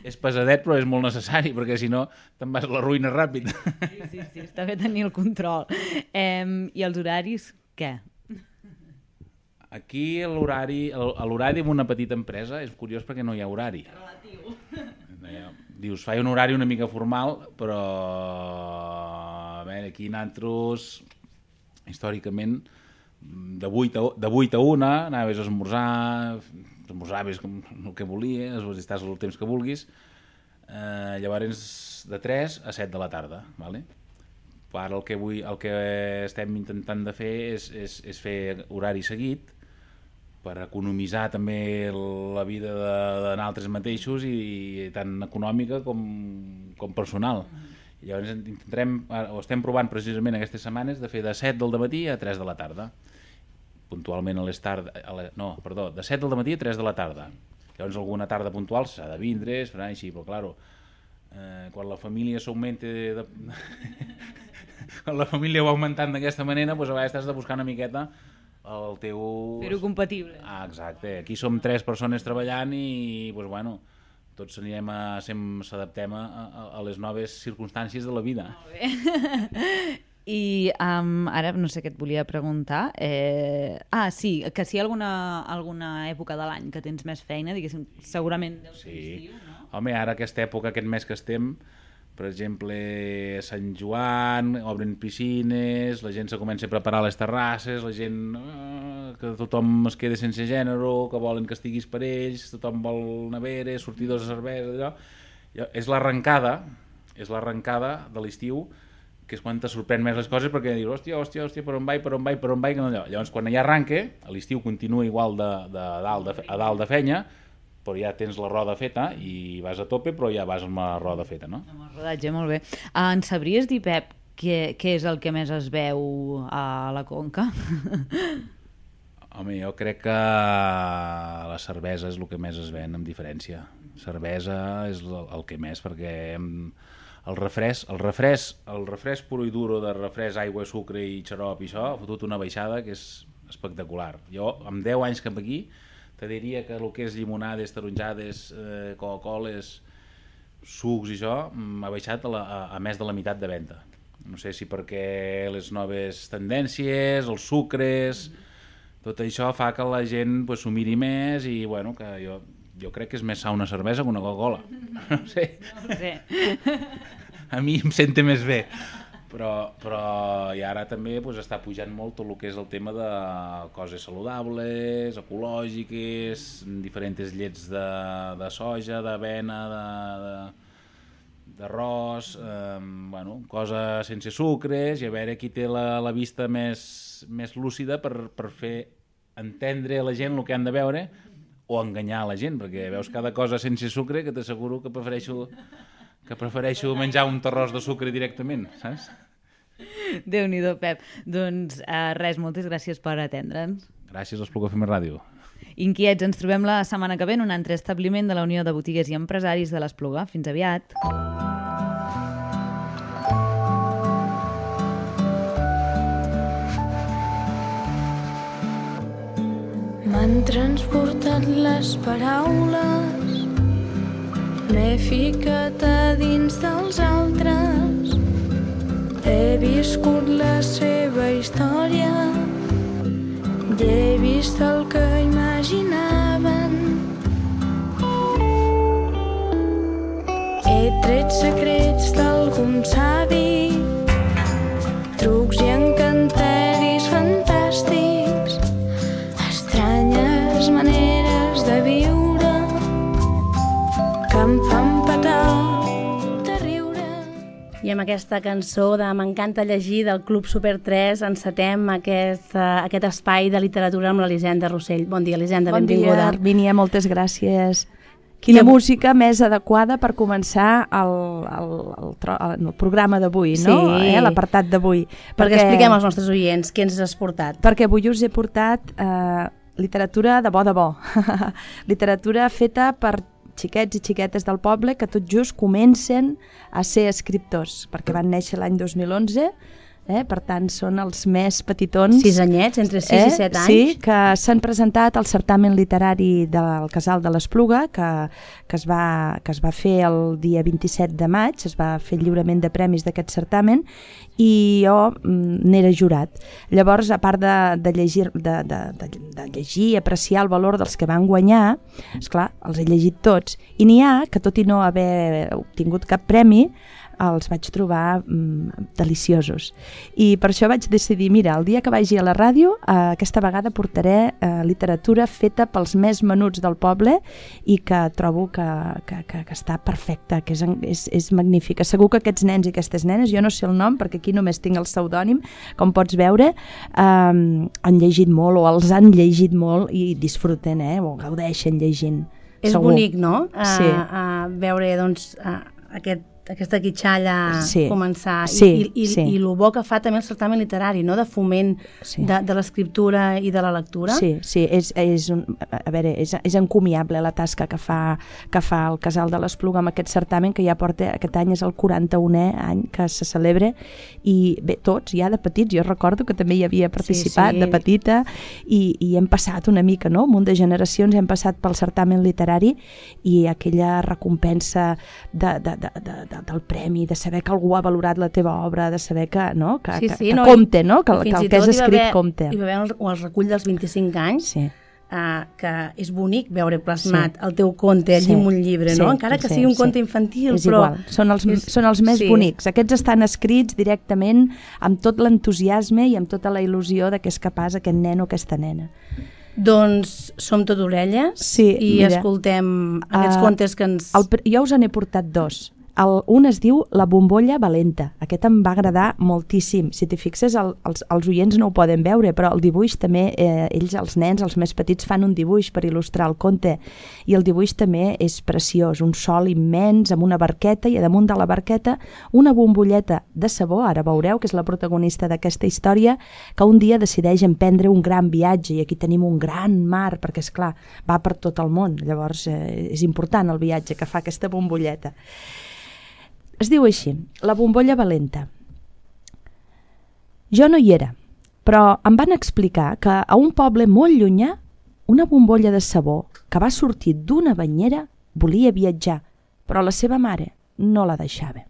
És pesadet, però és molt necessari, perquè si no te'n vas a la ruïna ràpid. Sí, està bé tenir el control. I els horaris, què? Aquí l'horari en una petita empresa és curiós perquè no hi ha horari. Relatiu. Dius, faig un horari una mica formal, però a veure, aquí nosaltres històricament de 8 a 1 anaves a esmorzaves el que volies, estàs el temps que vulguis, llavors de 3 a 7 de la tarda, ¿vale? Ara el que estem intentant de fer és fer horari seguit per economitzar també la vida de nosaltres mateixos i tant econòmica com personal. I llavors estem provant precisament aquestes setmanes de fer de 7 del matí a 3 de la tarda. Puntualment de 7 del matí a 3 de la tarda. Llavors alguna tarda puntual s'ha de vindre, es farà així, però clar, quan la família s'augmenta quan la família va augmentant d'aquesta manera, doncs a vegades has de buscar una miqueta el teu... Fer-ho compatible. Exacte. Aquí som 3 persones treballant i tots s'adaptem a les noves circumstàncies de la vida. Molt bé. I ara no sé què et volia preguntar. Sí, que si hi ha alguna època de l'any que tens més feina, diguéssim, segurament deu ser estiu, no? Home, ara aquesta època, aquest mes que estem, per exemple, Sant Joan, obren piscines, la gent se comença a preparar les terrasses, la gent que tothom es queda sense gènere, que volen que estiguis per ells, tothom vol neveres, sortidors de cervesa, allò. És l'arrencada de l'estiu, que és quan te sorprèn més les coses, perquè dius, hòstia, per on vaig, que no allò. Llavors, quan ja arranca, l'estiu continua igual a dalt de feina, però ja tens la roda feta i vas a tope, però ja vas amb la roda feta, no? Amb el rodatge, molt bé. Ens sabries dir, Pep, què és el que més es veu a la Conca? Home, jo crec que la cervesa és el que més es ven, amb diferència. Cervesa és el que més, perquè el refresc puro i duro de refresc, aigua, sucre i xarop i això, ha fotut una baixada que és espectacular. Jo, amb 10 anys cap aquí, te diria que el que és llimonades, taronjades, Coca-Coles, sucs i això, ha baixat a més de la meitat de venda. No sé si perquè les noves tendències, els sucres, tot això fa que la gent s'ho miri més i que jo crec que és més sa una cervesa que una Coca-Cola. No sé. A mi em sente més bé. Però i ara també està pujant molt tot el que és el tema de coses saludables, ecològiques, diferents llets de soja, d'avena, d'arròs, coses sense sucres, i a veure qui té la vista més lúcida per fer entendre a la gent el que han de veure o enganyar la gent, perquè veus cada cosa sense sucre que t'asseguro que prefereixo menjar un terròs de sucre directament, saps? Déu-n'hi-do, Pep. Doncs res, moltes gràcies per atendre'ns. Gràcies a Espluga FM Ràdio. Inquiets, ens trobem la setmana que ve en un altre establiment de la Unió de Botiguers i Empresaris de l'Espluga. Fins aviat. M'han transportat les paraules, m'he ficat a dins dels altres, he viscut la seva història i he vist el que imaginaven. He tret secrets d'algun savi, trucs i encanteris fantàstics, estranyes maneres de viure que em fan petar de riure. I amb aquesta cançó de M'encanta llegir del Club Super 3 encetem aquest espai de literatura amb l'Elisenda Rossell. Bon dia, Elisenda, benvinguda. Bon dia, Armínia, moltes gràcies. Quina música més adequada per començar el programa d'avui, no? Sí. L'apartat d'avui. Perquè expliquem als nostres oients què ens has portat. Perquè avui us he portat literatura de bo. Literatura feta per xiquets i xiquetes del poble que tot just comencen a ser escriptors, perquè van néixer l'any 2011, per tant són els més petitons. 6 anyets, entre 6 i 7 anys. Sí, que s'han presentat al certamen literari del Casal de l'Espluga, que es va fer el dia 27 de maig, es va fer el lliurament de premis d'aquest certamen, i jo n'era jurat. Llavors, a part de llegir i apreciar el valor dels que van guanyar, esclar, els he llegit tots, i n'hi ha que, tot i no haver obtingut cap premi, els vaig trobar deliciosos. I per això vaig decidir, mira, el dia que vagi a la ràdio, aquesta vegada portaré literatura feta pels més menuts del poble i que trobo que està perfecta, que és magnífica. Segur que aquests nens i aquestes nenes, jo no sé el nom perquè aquí només tinc el pseudònim, com pots veure, han llegit molt o els han llegit molt i disfruten, o gaudeixen llegint. És segur. Bonic, no? Sí. Veure, doncs, aquesta quitxalla començar sí. I el bo que fa també el certamen literari, no? De foment de l'escriptura i de la lectura. Sí, és encomiable la tasca que fa el Casal de l'Espluga amb aquest certamen, que ja porta, aquest any és el 41è any que se celebra, i bé, tots ja de petits, jo recordo que també hi havia participat de petita, i hem passat una mica, no? Un munt de generacions hem passat pel certamen literari, i aquella recompensa del premi, de saber que algú ha valorat la teva obra, de saber que compte, no? Que el que has escrit compte. I va haver el recull dels 25 anys, que és bonic veure plasmat el teu conte allí en un llibre, no? Encara que sigui un conte infantil, és igual, són els més bonics. Aquests estan escrits directament amb tot l'entusiasme i amb tota la il·lusió de què és capaç aquest nen o aquesta nena. Doncs som tot orelles i escoltem aquests contes que ens... Jo us n'he portat 2. Un es diu La bombolla valenta. Aquest em va agradar moltíssim. Si t'hi fixes, els oients no ho poden veure, però el dibuix també, ells, els nens, els més petits, fan un dibuix per il·lustrar el conte, i el dibuix també és preciós, un sol immens amb una barqueta, i a damunt de la barqueta una bombolleta de sabó, ara veureu que és la protagonista d'aquesta història, que un dia decideix emprendre un gran viatge, i aquí tenim un gran mar, perquè és clar, va per tot el món, llavors és important el viatge que fa aquesta bombolleta. Es diu així, La bombolla valenta. Jo no hi era, però em van explicar que a un poble molt llunyà una bombolla de sabó que va sortir d'una banyera volia viatjar, però la seva mare no la deixava.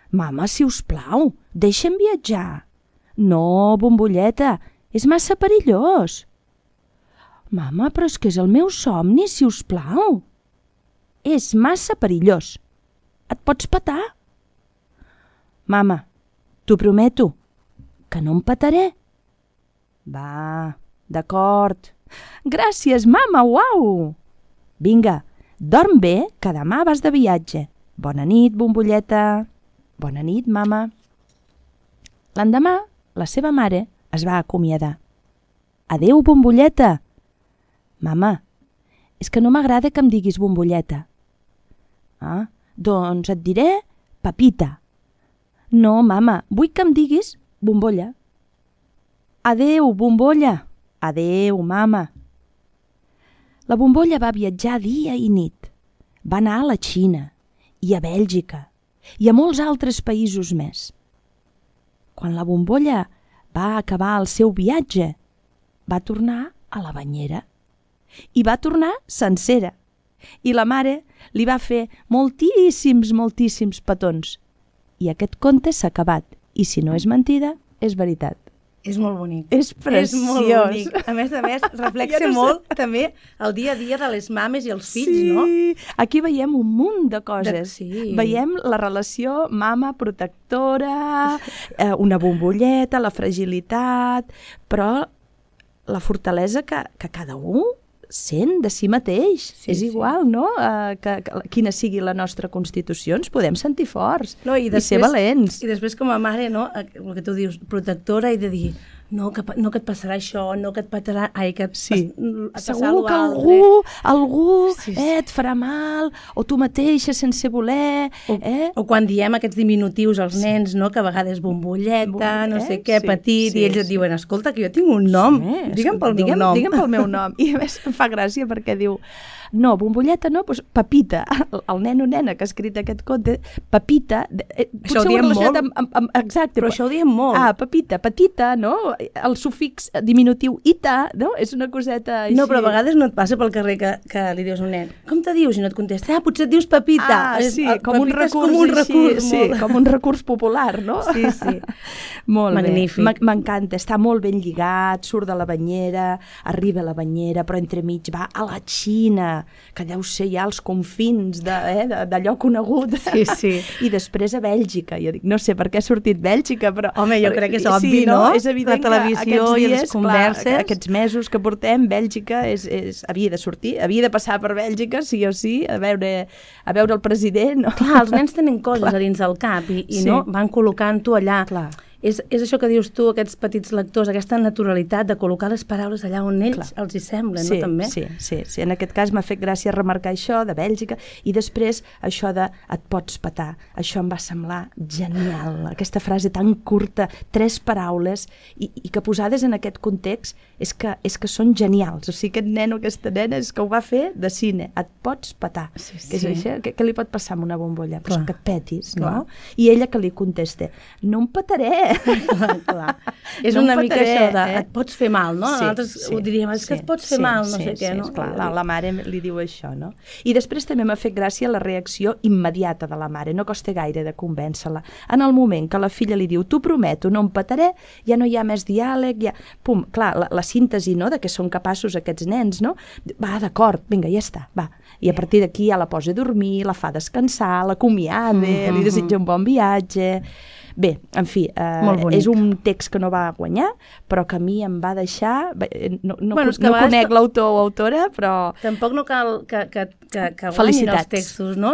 Mama, si us plau, deixa'm viatjar. No, bombolleta, és massa perillós. Mama, però és que és el meu somni, si us plau. És massa perillós. Et pots petar? Mama, t'ho prometo, que no em petaré. Va, d'acord. Gràcies, mama, uau! Vinga, dorm bé, que demà vas de viatge. Bona nit, bombolleta. Bona nit, mama. L'endemà, la seva mare es va acomiadar. Adéu, bombolleta. Mama, és que no m'agrada que em diguis bombolleta. Ah, doncs et diré Pepita. No, mama, vull que em diguis bombolla. Adéu, bombolla. Adéu, mama. La bombolla va viatjar dia i nit. Va anar a la Xina i a Bèlgica i a molts altres països més. Quan la bombolla va acabar el seu viatge, va tornar a la banyera i va tornar sencera. I la mare li va fer moltíssims petons. I aquest conte s'ha acabat. I si no és mentida, és veritat. És molt bonic. És preciós. És molt bonic. A més, reflexa molt també el dia a dia de les mames i els fills, no? Sí, aquí veiem un munt de coses. Sí. Veiem la relació mama protectora, una bombolleta, la fragilitat, però la fortalesa que cada un sent de si mateix. És igual, no? Que quina sigui la nostra constitució, ens podem sentir forts i ser valents. I després com a mare, no? El que tu dius, protectora, i de dir no que et passarà això, no que et passarà... Segur que algú et farà mal, o tu mateixa sense voler... O quan diem aquests diminutius als nens, no? Que a vegades bombolleta, no sé què, petit, i ells et diuen, escolta, que jo tinc un nom, digue'm pel meu nom. Digue'm pel meu nom. I a més em fa gràcia perquè diu, no, bombolleta no, doncs Pepita. El nen o nena que ha escrit aquest conte, Pepita... Això ho diem molt. Exacte. Però això ho diem molt. Ah, Pepita, petita, no? El sufix diminutiu ita, no? És una coseta així. No, però a vegades no et passa pel carrer que li dius a un nen, com te dius? I no et contesta, potser et dius Pepita. Ah, sí, com un recurs popular, no? Sí. Molt magnífic. Bé. M'encanta, està molt ben lligat, surt de la banyera, arriba a la banyera, però entremig va a la Xina, que deu ser ja els confins d'allò conegut. Sí. I després a Bèlgica. Jo dic, no sé per què ha sortit Bèlgica, però... Home, jo crec que és obvi, no? És evident la televisió i les converses. Clar, aquests mesos que portem, Bèlgica havia de sortir, havia de passar per Bèlgica, sí o sí, a veure el president. No? Clar, els nens tenen coses a dins del cap i no van col·locant-ho allà. Clar. És això que dius tu, aquests petits lectors, aquesta naturalitat de col·locar les paraules allà on ells els hi semblen, no també? Sí. En aquest cas m'ha fet gràcia remarcar això de Bèlgica i després això de et pots petar. Això em va semblar genial, aquesta frase tan curta, 3 paraules i que posades en aquest context és que són genials. O sigui, aquest nen o aquesta nena és que ho va fer de cine. Et pots petar. Sí. Que és això? Què li pot passar amb una bombolla? Pues que et petis, no? Clar. I ella que li contesta, no em petaré. Clar. És una mica això de et pots fer mal, no? Nosaltres ho diríem, és que et pots fer mal, no sé què, no? Clar, la mare li diu això, no? I després també m'ha fet gràcia la reacció immediata de la mare, no costa gaire de convèncer-la. En el moment que la filla li diu, t'ho prometo, no em petaré, ja no hi ha més diàleg, pum, clar, la síntesi, no?, de què són capaços aquests nens, no? Va, d'acord, vinga, ja està, va. I a partir d'aquí ja la posa a dormir, la fa descansar, l'acomiada, li desitja un bon viatge... Bé, en fi, és un text que no va guanyar, però que a mi em va deixar... No conec l'autor o autora, però... Tampoc no cal que guanyin els textos, no?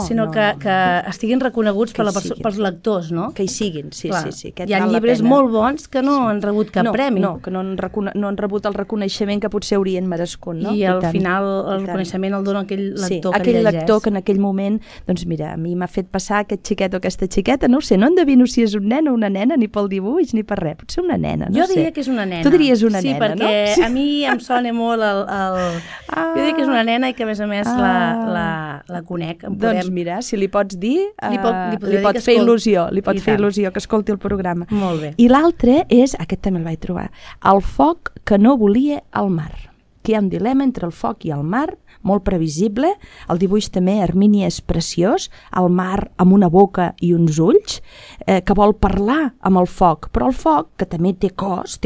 Sinó que estiguin reconeguts pels lectors, no? Que hi siguin, sí. Hi ha llibres molt bons que no han rebut cap premi. No, que no han rebut el reconeixement que potser haurien merescut, no? I al final el reconeixement el dona aquell lector que llegeix. Aquell lector que en aquell moment, doncs mira, a mi m'ha fet passar aquest xiquet o aquesta xiqueta, no ho sé, no endevino si és un nen o una nena, ni pel dibuix, ni per res. Potser una nena, no sé. Jo diria que és una nena. Tu diries una nena, no? Sí, perquè a mi em sona molt Jo diria que és una nena i que a més la conec. Doncs mira, si li pots dir, li pot fer il·lusió, fer il·lusió que escolti el programa. Molt bé. I l'altre és, aquest també el vaig trobar, el foc que no volia el mar. Que hi ha un dilema entre el foc i el mar, molt previsible, el dibuix també, Hermini, és preciós, el mar amb una boca i uns ulls, que vol parlar amb el foc, però el foc, que també té cos,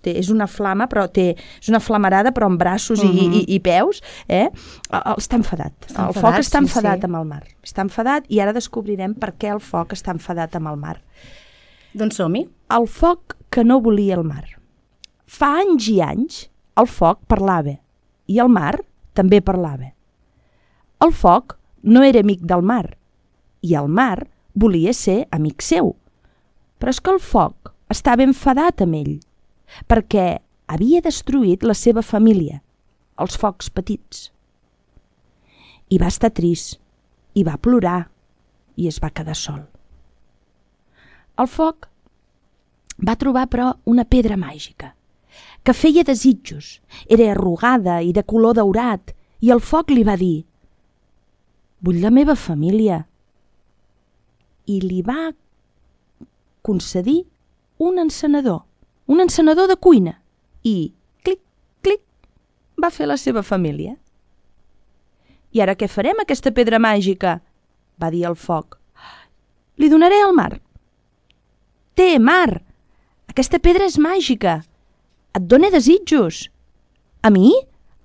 és una flama, però és una flamarada, però amb braços i peus, està enfadat. El foc està enfadat amb el mar. Està enfadat i ara descobrirem per què el foc està enfadat amb el mar. Doncs som-hi. El foc que no volia el mar. Fa anys i anys el foc parlava i el mar també parlava. El foc no era amic del mar, i el mar volia ser amic seu. Però és que el foc estava enfadat amb ell, perquè havia destruït la seva família, els focs petits. I va estar trist, i va plorar, i es va quedar sol. El foc va trobar, però, una pedra màgica, que feia desitjos, era arrugada i de color daurat, i el foc li va dir: «Vull la meva família». I li va concedir un encenedor de cuina, i, clic, clic, va fer la seva família. «I ara què farem, aquesta pedra màgica?», va dir el foc. «Li donaré al mar». «Té, mar, aquesta pedra és màgica, et dóna desitjos. A mi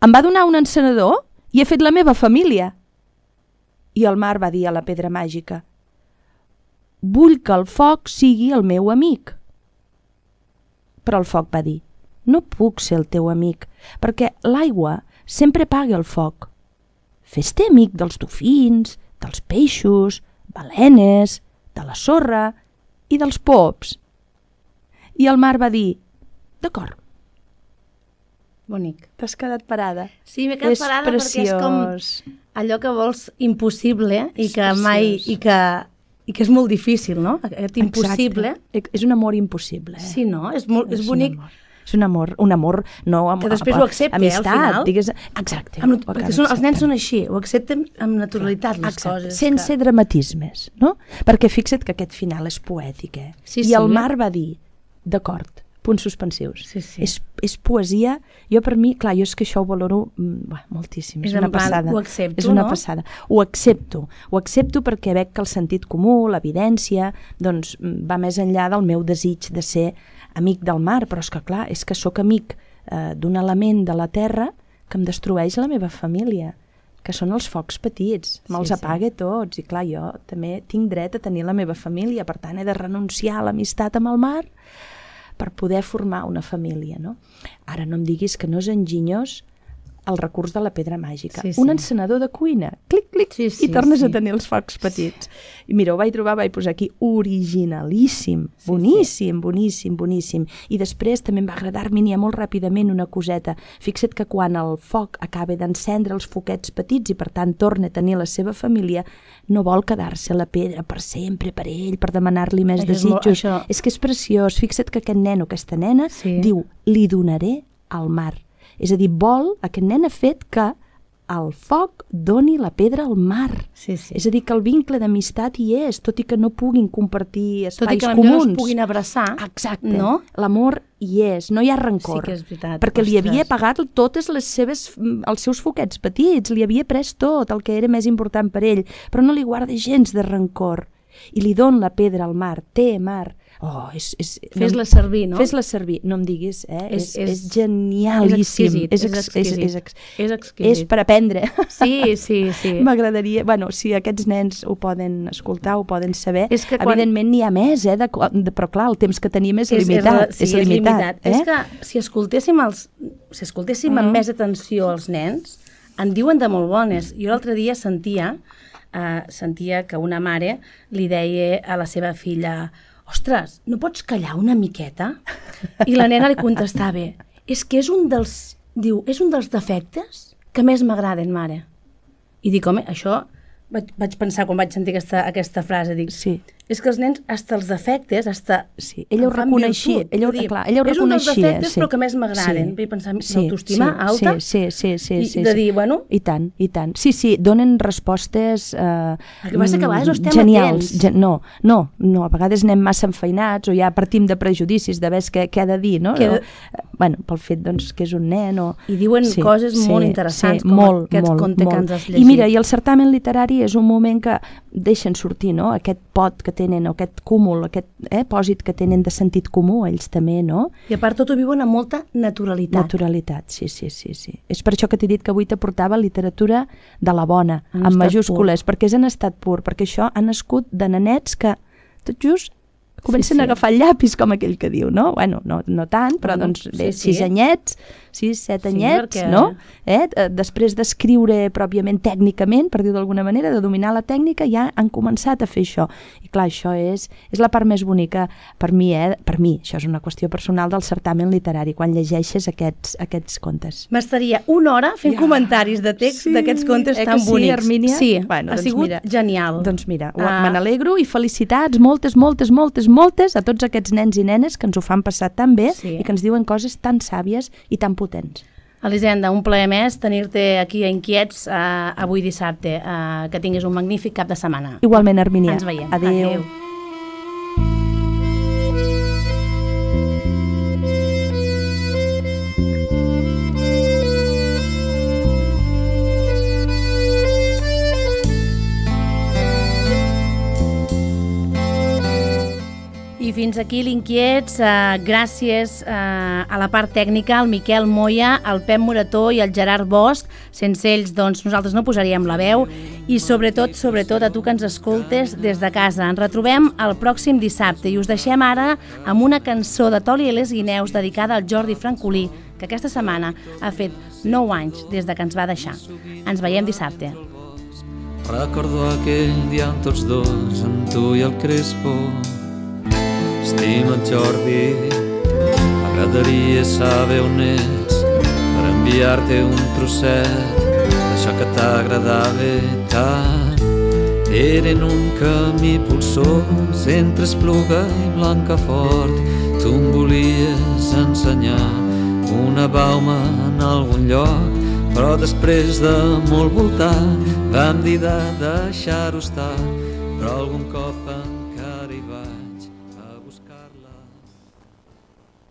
em va donar un encenedor i he fet la meva família». I el mar va dir a la pedra màgica: «Vull que el foc sigui el meu amic». Però el foc va dir: «No puc ser el teu amic, perquè l'aigua sempre apaga el foc. Fes-te amic dels dofins, dels peixos, balenes, de la sorra i dels pops». I el mar va dir: «D'acord». Bonic. T'has quedat parada? Sí, m'he quedat parada perquè és com allò que vols impossible i que mai... I que és molt difícil, no? Aquest impossible. Exacte. És un amor impossible. Sí, no? És bonic. És un amor no amb que després ho accepta, amistat, al final. Digues, exacte. Perquè els nens són així, ho accepten amb naturalitat, les coses. Sense dramatismes, no? Perquè fixa't que aquest final és poètic, Sí, I el mar va dir: «D'acord, punts suspensius». Sí. És poesia. Jo per mi, clar, jo és que això ho valoro moltíssim. És una passada. Ho accepto, és una passada. Ho accepto perquè veig que el sentit comú, l'evidència, doncs va més enllà del meu desig de ser amic del mar, però és que clar, és que sóc amic d'un element de la terra que em destrueix la meva família, que són els focs petits, me'ls apaga tots, i clar, jo també tinc dret a tenir la meva família, per tant he de renunciar a l'amistat amb el mar per poder formar una família, no? Ara no em diguis que no és enginyós el recurs de la pedra màgica. Un encenedor de cuina, clic, clic, i tornes a tenir els focs petits. I mira, ho vaig trobar, vaig posar aquí, originalíssim, boníssim. I després també em va agradar-me molt ràpidament una coseta. Fixa't que quan el foc acaba d'encendre els foquets petits i per tant torna a tenir la seva família, no vol quedar-se la pedra per sempre, per ell, per demanar-li més desitjos. És que és preciós. Fixa't que aquest nen o aquesta nena diu: «Li donaré al mar». És a dir, aquest nen ha fet que el foc doni la pedra al mar. És a dir, que el vincle d'amistat hi és, tot i que no puguin compartir espais comuns. Tot i que potser no es puguin abraçar. Exacte. No? L'amor hi és, no hi ha rancor. Sí que és veritat. Perquè li havia pagat totes els seus foquets petits, li havia pres tot el que era més important per ell, però no li guarda gens de rancor. I li don la pedra al mar. Té, mar. Fes-la servir, no? Fes-la servir, no em diguis, és genialíssim. És exquisit. És per aprendre. Sí. M'agradaria, si aquests nens ho poden escoltar, ho poden saber, evidentment n'hi ha més, però clar, el temps que tenim és limitat. És limitat. És que si escoltéssim amb més atenció els nens, en diuen de molt bones. Jo l'altre dia sentia que una mare li deia a la seva filla: «Ostres, no pots callar una miqueta?» I la nena li contestava: «És que és un dels defectes que més m'agraden, mare». I dic: «Home, això...» Vaig pensar quan vaig sentir aquesta frase, dic: és que els nens, hasta els defectes, ella ho reconeixia. És un dels defectes, però que més m'agraden. Vaig pensar, l'autoestima alta. Sí. De dir, bueno... I tant. Sí, donen respostes el que passa que a vegades no estem genials. atents. No, a vegades anem massa enfeinats o ja partim de prejudicis de veure què ha de dir, no? Pel fet que és un nen o... I diuen coses molt interessants, com aquest conte que ens has llegit. I mira, i el certamen literari és un moment que deixen sortir, no?, aquest pot que tenen, o aquest cúmul, aquest pòsit que tenen de sentit comú, ells també, no? I a part tot ho viuen amb molta naturalitat. Naturalitat, sí. És per això que t'he dit que avui t'aportava literatura de la bona, amb majúscules, perquè és en estat pur, perquè això ha nascut de nenets que tot just comencen a agafar el llapis, com aquell que diu, no? Bueno, no tant, però doncs bé, 6 anyets, 6-7 anyets, perquè... no? Després d'escriure pròpiament tècnicament, per dir-ho d'alguna manera, de dominar la tècnica, ja han començat a fer això. I clar, això és la part més bonica per mi, per mi. Això és una qüestió personal del certamen literari, quan llegeixes aquests contes. M'estaria una hora fent comentaris de text d'aquests contes tan bonics. Sí, Hermínia? Sí, bueno, ha sigut genial. Doncs mira, me n'alegro i felicitats, moltes a tots aquests nens i nenes que ens ho fan passar tan bé i que ens diuen coses tan sàvies i tan potents. Elisenda, un plaer més tenir-te aquí a Inquiets avui dissabte. Que tinguis un magnífic cap de setmana. Igualment, Hermínia. Ens veiem. Adéu. I fins aquí l'Inquiets, gràcies a la part tècnica, al Miquel Moya, al Pep Morató i al Gerard Bosch. Sense ells, doncs, nosaltres no posaríem la veu. I sobretot a tu que ens escoltes des de casa. Ens retrobem el pròxim dissabte i us deixem ara amb una cançó de Toli i les Guineus dedicada al Jordi Francolí, que aquesta setmana ha fet 9 anys des de que ens va deixar. Ens veiem dissabte. Recordo aquell dia amb tots dos, amb tu i el Crespo. Estima't, Jordi, m'agradaria saber on ets per enviar-te un trosset d'això que t'agradava tant. Eren un camí polsós entre Espluga i Blancafort. Tu em volies ensenyar una bauma en algun lloc, però després de molt voltar vam dir de deixar-ho estar, però algun cop